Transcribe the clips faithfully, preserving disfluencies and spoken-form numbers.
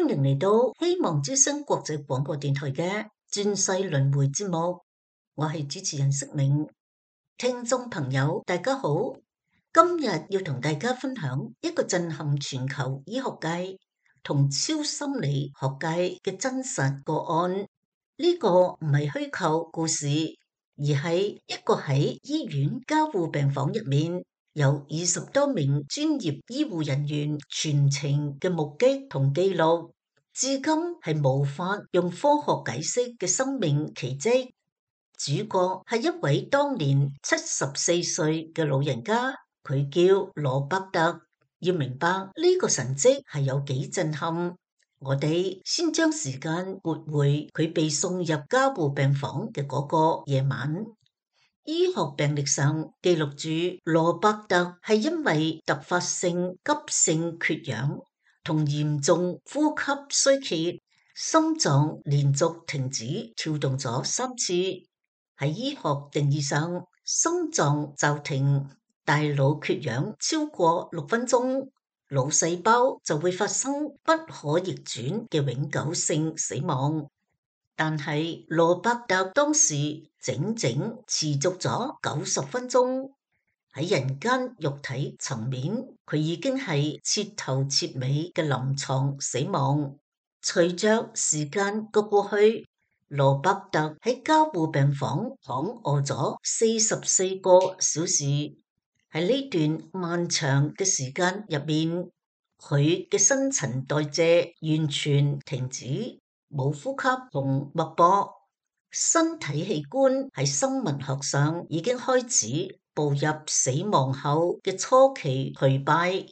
歡迎嚟到希望之聲國際廣播電台嘅轉世輪迴節目，我係主持人釋明。聽眾朋友大家好，今日要同大家分享一個震撼全球醫學界同超心理學界嘅真實個案。呢個唔係虛構故事，而係一個喺醫院加護病房入面由二十多名專業醫護人員全程嘅目擊同記錄，至今係無法用科學解釋嘅生命奇蹟。主角係一位當年七十四歲嘅老人家，佢叫羅伯特。要明白呢個神蹟係有幾震撼，我哋先將時間撥回佢被送入加護病房嘅嗰個夜晚。醫學病歷上記錄住羅伯特係因為突發性急性缺氧同嚴重呼吸衰竭，心臟連續停止跳動咗三次。喺醫學定義上，心臟驟停、大腦缺氧超過六分鐘，腦細胞就會發生不可逆轉嘅永久性死亡。但係羅伯特當時整整持續咗九十分鐘，喺人間肉體層面，佢已經係徹頭徹尾嘅臨床死亡。隨着時間嘅過去，羅伯特喺加護病房躺臥咗四十四個小時。喺呢段漫長嘅時間入面，佢嘅新陳代謝完全停止。冇呼吸同脈搏，身體器官喺生物學上已經開始步入死亡後嘅初期頹敗。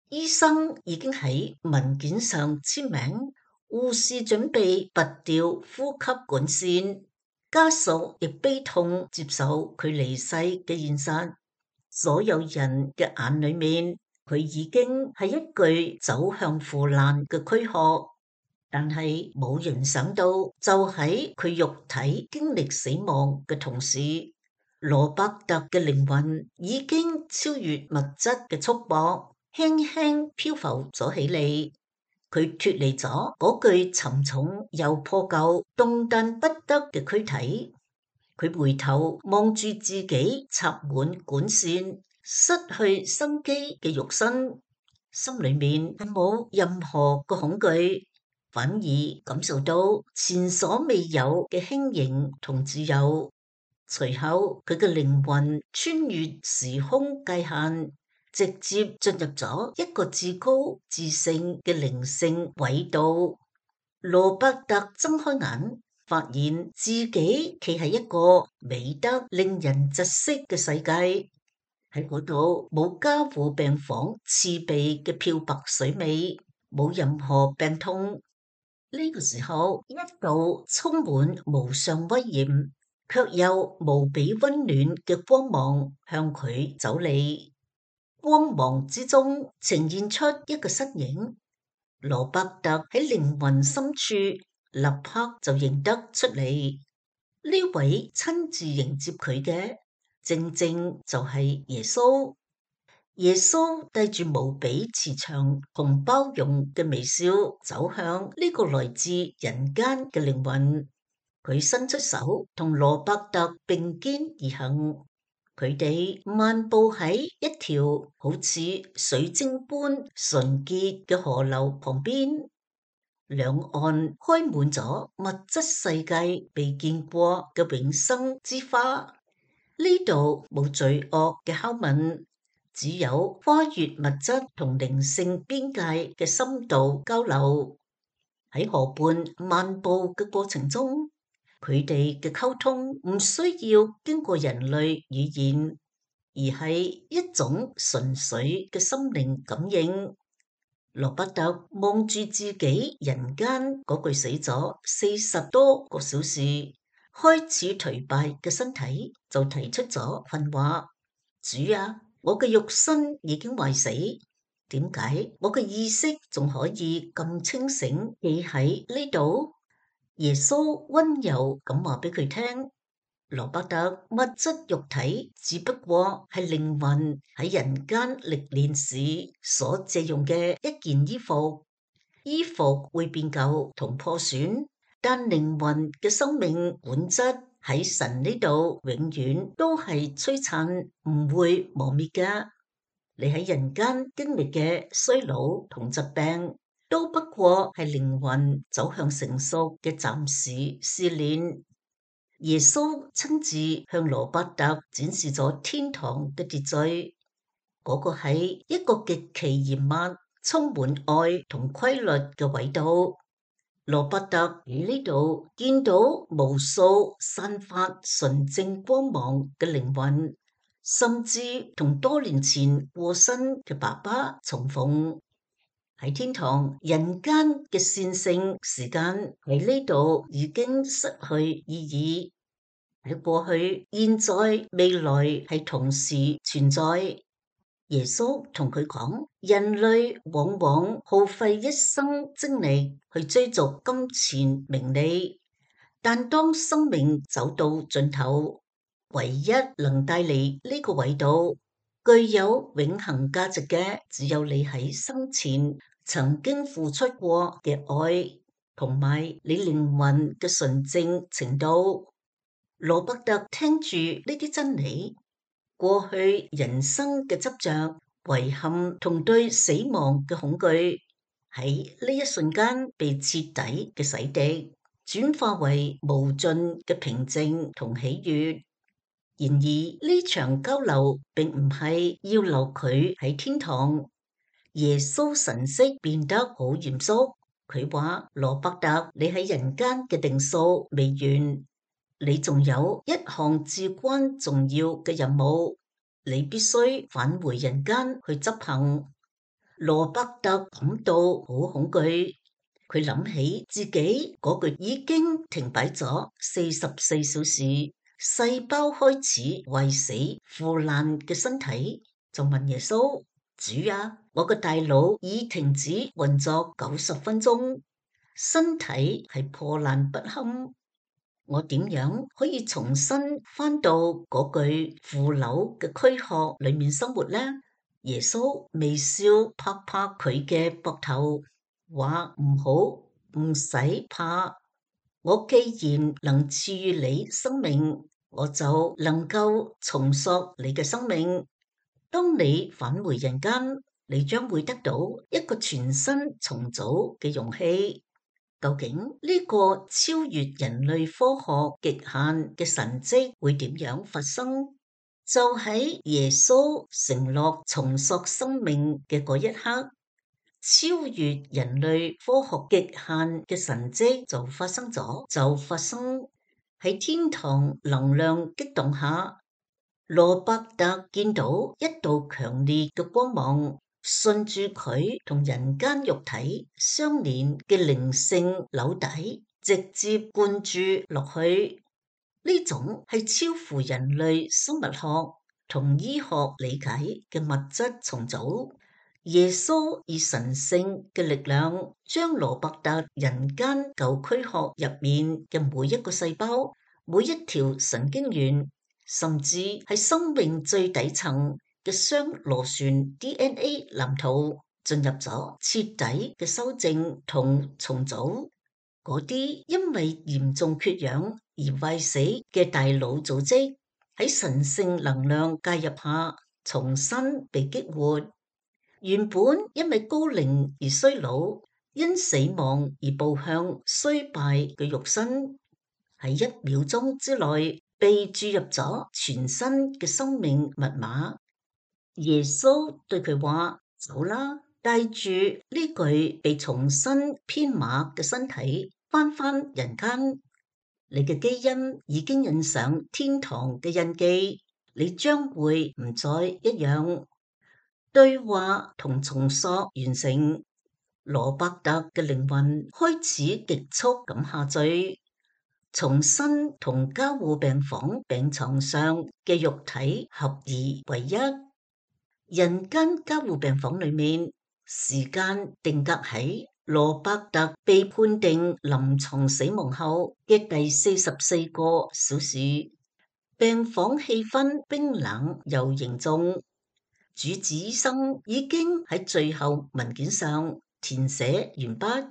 醫生已經喺文件上簽名，護士準備拔掉呼吸管線，家屬亦悲痛接受佢離世嘅現實。所有人嘅眼裏面，佢已經係一具走向腐爛嘅軀殼。但係冇人想到，就喺佢肉體經歷死亡嘅同時，羅伯特嘅靈魂已經超越物質嘅束縛，輕輕漂浮咗起嚟。佢脫離咗嗰具沉重又破舊、動彈不得嘅軀體。佢回頭望住自己插滿管線、失去生機嘅肉身，心裏面係冇任何嘅恐懼，反而感受到前所未有嘅輕盈同自由。隨後佢嘅靈魂穿越時空界限，直接進入咗一個至高至聖嘅靈性軌道。羅伯特睜開眼，發現自己企喺一個美得令人窒息嘅世界。喺嗰度冇加護病房刺鼻嘅漂白水味，冇任何病痛。呢個時候，一道充滿無上威嚴，卻又無比溫暖嘅光芒向佢走嚟。光芒之中呈現出一個身影，羅伯特喺靈魂深處立刻就認得出嚟。呢位親自迎接佢嘅，正正就係耶穌。耶穌帶住無比慈祥同包容嘅微笑走向呢個來自人間嘅靈魂，佢伸出手同羅伯特並肩而行，佢哋漫步喺一條好似水晶般純潔嘅河流旁邊，兩岸開滿咗物質世界未見過嘅永生之花。呢度冇罪惡嘅拷問，只有跨越物質同靈性邊界嘅深度交流。喺河畔漫步嘅過程中，佢哋嘅溝通唔需要經過人類語言，而係一種純粹嘅心靈感應。羅伯特望住自己人間嗰具死咗四十多個小時，開始頹敗嘅身體，就提出咗訓話：主啊，我嘅肉身已經壞死，點解我嘅意識仲可以咁清醒企喺呢度？耶穌溫柔咁話俾佢聽：羅伯特，物質肉體只不過係靈魂喺人間歷練時所借用嘅一件衣服，衣服會變舊同破損，但靈魂嘅生命本質喺神呢度永遠都係璀璨，唔會磨滅㗎。你喺人間經歷嘅衰老同疾病，都不過係靈魂走向成熟嘅暫時試煉。耶穌親自向羅伯特展示咗天堂嘅秩序，嗰、那個係一個極其嚴密、充滿愛同規律嘅緯度。羅伯特喺呢度見到無數散發純正光芒嘅靈魂，甚至同多年前過身嘅爸爸重逢。喺天堂，人間嘅線性時間喺呢度已經失去意義。喺過去、現在、未來係同時存在。耶穌同佢講：人類往往耗費一生精力去追逐金錢名利，但當生命走到盡頭，唯一能帶嚟呢個緯度具有永恆價值嘅，只有你喺生前曾經付出過嘅愛，同埋你靈魂嘅純正程度。羅伯特聽住呢啲真理，過去人生嘅執着、遺憾同對死亡嘅恐懼，喺呢一瞬間被徹底嘅洗滌，轉化為無盡嘅平靜同喜悅。然而呢場交流並唔係要留佢喺天堂。耶穌神色變得好嚴肅，佢話：羅伯特，你喺人間嘅定數未完。你仲有一項至關重要嘅任務，你必須返回人間去執行。羅伯特感到好恐懼，佢諗起自己嗰個已經停擺咗四十四小時、細胞開始壞死腐爛嘅身體，就問耶穌：主啊，我個大腦已停止運作九十分鐘，身體係破爛不堪。我點樣可以重新返到嗰具腐朽嘅軀殼裏面生活呢？耶穌微笑拍拍佢嘅膊頭，話：唔好，唔使怕。我既然能賜予你生命，我就能夠重塑你嘅生命。當你返回人間，你將會得到一個全新重組嘅容器。究竟呢個超越人類科學極限嘅神蹟會點樣發生？就喺耶穌承諾重塑生命嘅嗰一刻，超越人類科學極限嘅神蹟就發生咗，就發生喺天堂能量激動下，羅伯特見到一道強烈嘅光芒，順住佢同人間肉體相連嘅靈性紐帶，直接灌注落去。呢種係超乎人類生物學同醫學理解嘅物質重組。耶穌以神聖嘅力量，將羅伯特人間舊軀殼入面嘅每一個細胞、每一條神經元，甚至係生命最底層嘅雙螺旋 D N A 藍圖進入咗徹底嘅修正同重組。嗰啲因為嚴重缺氧而壞死嘅大腦組織，喺神聖能量介入下重新被激活。原本因為高齡而衰老，因死亡而步向衰敗嘅肉身，喺一秒鐘之內被注入咗全新嘅生命密碼。耶穌對佢話：走啦，帶住呢具被重新編碼嘅身體翻返人間。你嘅基因已經印上天堂嘅印記，你將會唔再一樣。對話同重塑完成，羅伯特嘅靈魂開始極速咁下墜，重新同加護病房病床上嘅肉體合而為一。人間加護病房裏面，時間定格喺羅伯特被判定臨床死亡後嘅第四十四個小時，病房氣氛冰冷又凝重。主治醫生已經喺最後文件上填寫完畢，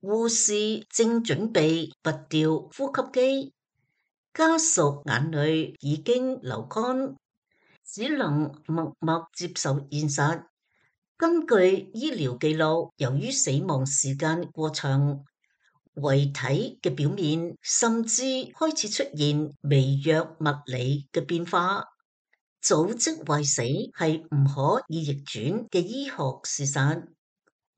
護士正準備拔掉呼吸機，家屬眼淚已經流乾，只能默默接受現實。根據醫療記錄，由於死亡時間過長，遺體嘅表面甚至開始出現微弱物理嘅變化。組織壞死係唔可以逆轉嘅醫學事實。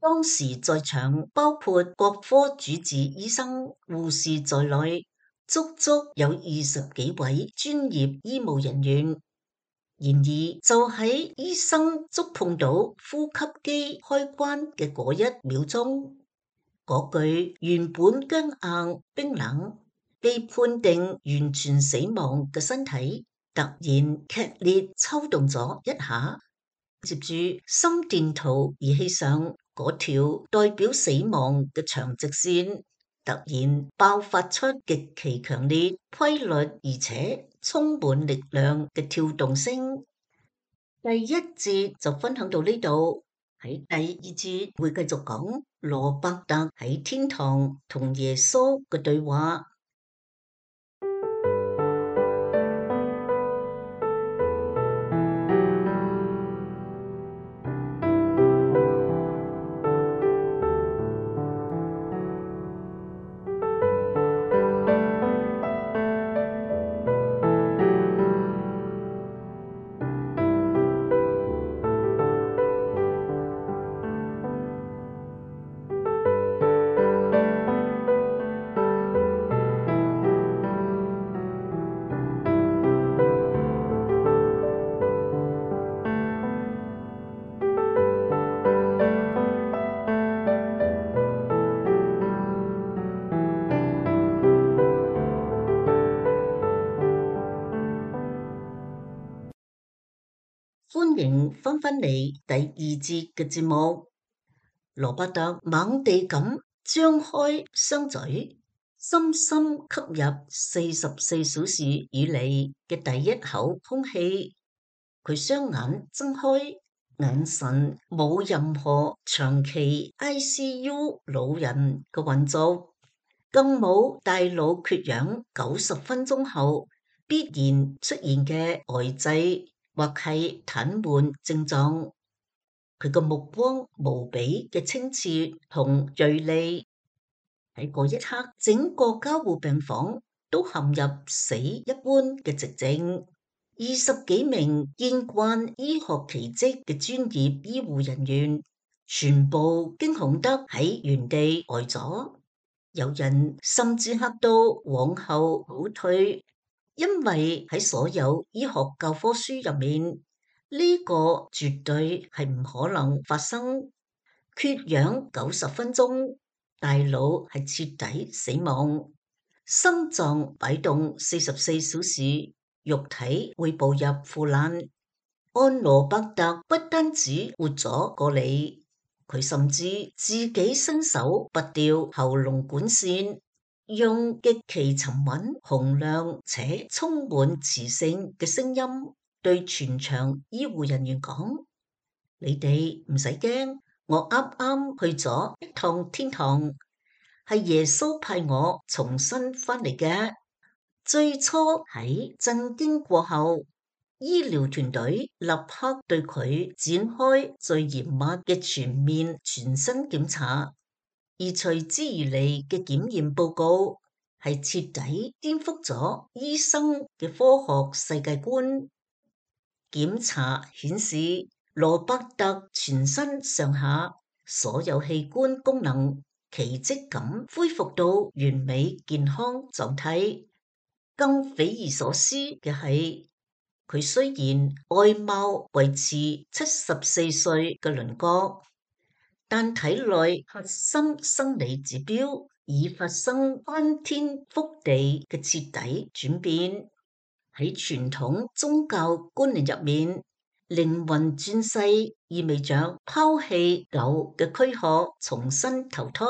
當時在場包括各科主治醫生、護士在內，足足有二十幾位專業醫務人員。然而，就喺醫生觸碰到呼吸機開關嘅嗰一秒鐘，嗰具原本僵硬冰冷、被判定完全死亡嘅身體，突然劇烈抽動咗一下，接住心電圖儀器上嗰條代表死亡嘅長直線，突然爆發出極其強烈、規律而且充滿力量嘅跳動聲。第一節就分享到呢度，喺第二節會繼續講羅伯特喺天堂同耶穌嘅對話。歡迎翻返嚟第二節嘅節目。羅伯特猛地咁張開雙嘴，深深吸入四十四小時以嚟嘅第一口空氣。佢雙眼睜開，眼神冇任何長期 I C U 老人嘅混濁，更冇大腦缺氧九十分鐘後必然出現嘅呆滯或係癱瘓症狀。佢個目光無比嘅清澈同銳利，喺嗰一刻，整個加護病房都陷入死一般嘅寂靜。二十幾名見慣醫學奇蹟嘅專業醫護人員，全部驚恐得喺原地呆咗，有人甚至嚇到往後倒退。因為喺所有醫學教科書入面，呢個絕對係唔可能發生。缺氧九十分鐘，大腦係徹底死亡，心臟擺動四十四小時，肉體會步入腐爛。安羅伯特不單止活咗過嚟，佢甚至自己伸手拔掉喉嚨管線，用極其沉穩、洪亮且充滿磁性嘅聲音對全場醫護人員講：你哋唔使驚，我啱啱去咗一趟天堂，係耶穌派我重新翻嚟嘅。最初喺震驚過後，醫療團隊立刻對佢展開最嚴密嘅全面全身檢查。而隨之而嚟嘅檢驗報告係徹底顛覆咗醫生嘅科學世界觀。檢查顯示，羅伯特全身上下所有器官功能奇蹟咁恢復到完美健康狀態。更匪夷所思嘅係，佢雖然外貌維持七十四歲嘅輪廓，但體內核心生理指標已發生翻天覆地嘅徹底轉變。喺傳統宗教觀念入面，靈魂轉世意味着拋棄舊嘅軀殼，重新投胎。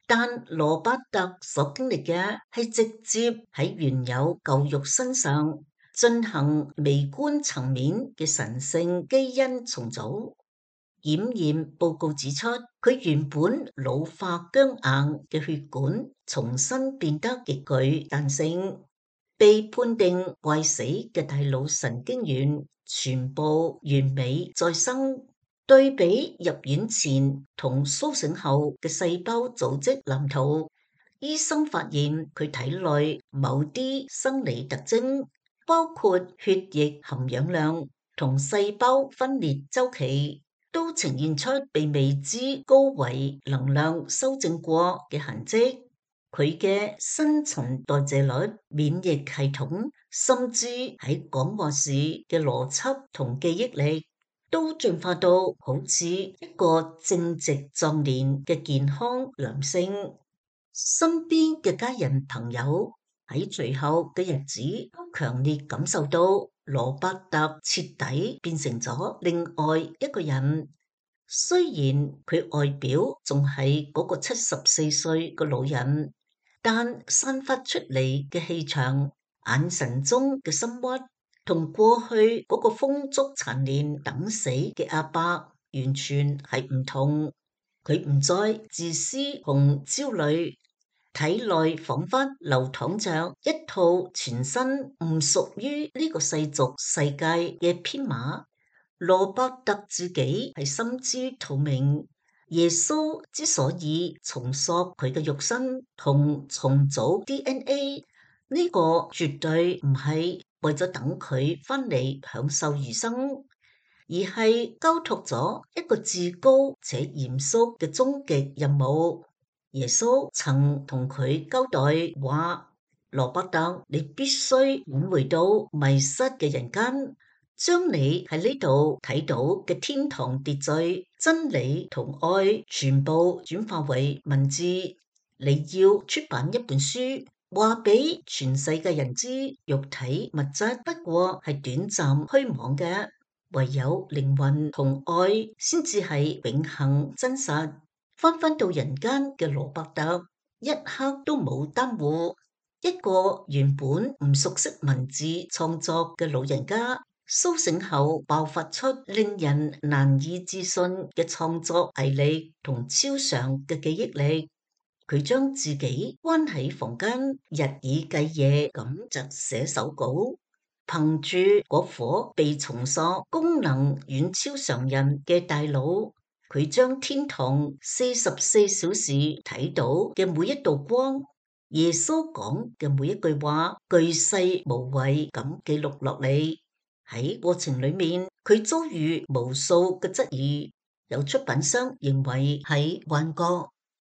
但羅伯特所經歷嘅係直接喺原有舊肉身上進行微觀層面嘅神聖基因重組。檢驗報告指出，佢原本老化僵硬嘅血管重新變得極具彈性，被判定壞死嘅大腦神經元全部完美再生。對比入院前同甦醒後嘅細胞組織藍圖，醫生發現佢體內某啲生理特徵，包括血液含氧量同細胞分裂周期，都呈現出被未知高維能量修正過嘅痕跡。佢嘅新陳代謝率、免疫系統，甚至喺講話時嘅邏輯同記憶力，都進化到好似一個正值壯年嘅健康男性。身邊嘅家人朋友喺隨後嘅日子都強烈感受到羅伯特徹底變成咗另外一個人。雖然佢外表仲係嗰個七十四歲嘅老人，但散發出嚟嘅氣場、眼神中嘅深鬱，同過去嗰個風燭殘年等死嘅阿伯完全係唔同。佢唔再自私同焦慮，體內仿佛流淌着一套全新唔屬於呢個世俗世界嘅編碼。羅伯特自己係心知肚明，耶穌之所以重塑佢嘅肉身同重組 D N A， 呢個絕對唔係為咗等佢翻嚟享受餘生，而係交託咗一個至高且嚴肅嘅終極任務。耶穌曾同佢交代話：羅伯特，你必須領回到迷失嘅人間，將你喺呢度睇到嘅天堂秩序、真理同愛全部轉化為文字。你要出版一本書，話俾全世界人知，肉體物質不過係短暫虛妄嘅，唯有靈魂同愛先至係永恆真實。翻返到人間嘅羅伯特，一刻都冇耽誤。一個原本唔熟悉文字創作嘅老人家，甦醒後爆發出令人難以置信嘅創作毅力同超常嘅記憶力。佢將自己關喺房間，日以繼夜咁就寫手稿，憑住嗰顆被重塑、功能遠超常人嘅大腦。佢將天堂四十四小時睇到嘅每一道光，耶穌講嘅每一句話，巨細無遺咁記錄落嚟。喺過程裏面，佢遭遇無數嘅質疑，有出版商認為係幻覺，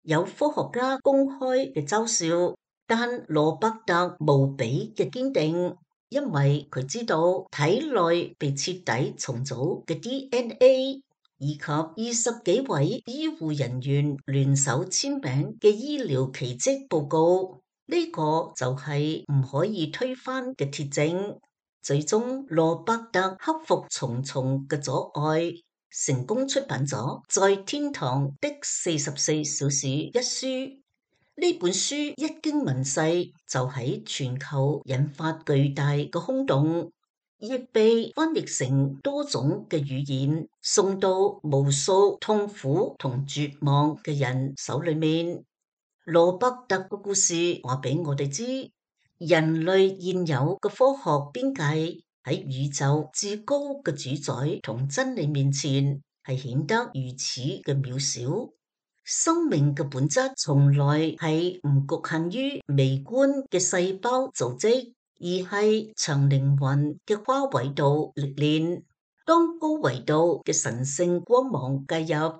有科學家公開嘅嘲笑，但羅伯特無比嘅堅定，因為佢知道體內被徹底重組嘅 D N A。以及二十幾位醫護人員聯手簽名嘅醫療奇蹟報告，呢個就係唔可以推翻嘅鐵證。最終，羅伯特克服重重嘅阻礙，成功出版咗《在天堂的四十四小時》一書。呢本書一經問世，就喺全球引發巨大嘅轟動。亦被翻譯成多種嘅語言，送到無數痛苦同絕望嘅人手裏面。羅伯特嘅故事話俾我哋知，人類現有嘅科學邊界喺宇宙至高嘅主宰同真理面前係顯得如此嘅渺小。生命嘅本質從來係唔局限於微觀嘅細胞組織，而係長靈魂嘅跨維度歷練。當高維度嘅神聖光芒介入，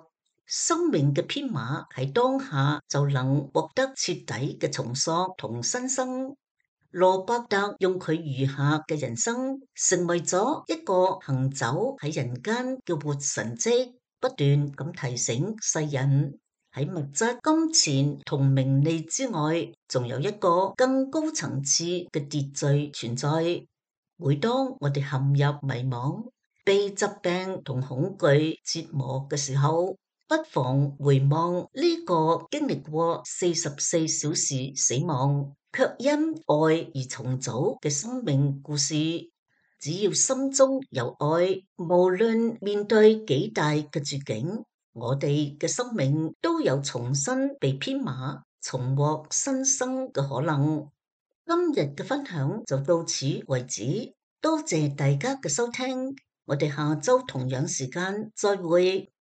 生命嘅編碼喺當下就能獲得徹底嘅重塑同新生。羅伯特用佢餘下嘅人生，成為咗一個行走喺人間嘅活神蹟，不斷咁提醒世人，喺物質、金錢同名利之外，仲有一個更高層次嘅秩序存在。每當我哋陷入迷茫、被疾病同恐懼折磨嘅時候，不妨回望呢個經歷過四十四小時死亡，卻因愛而重組嘅生命故事。只要心中有愛，無論面對幾大嘅絕境，我哋嘅生命都有重新被編碼、重獲新生嘅可能。今日嘅分享就到此為止，多謝大家嘅收聽，我哋下周同樣時間再會。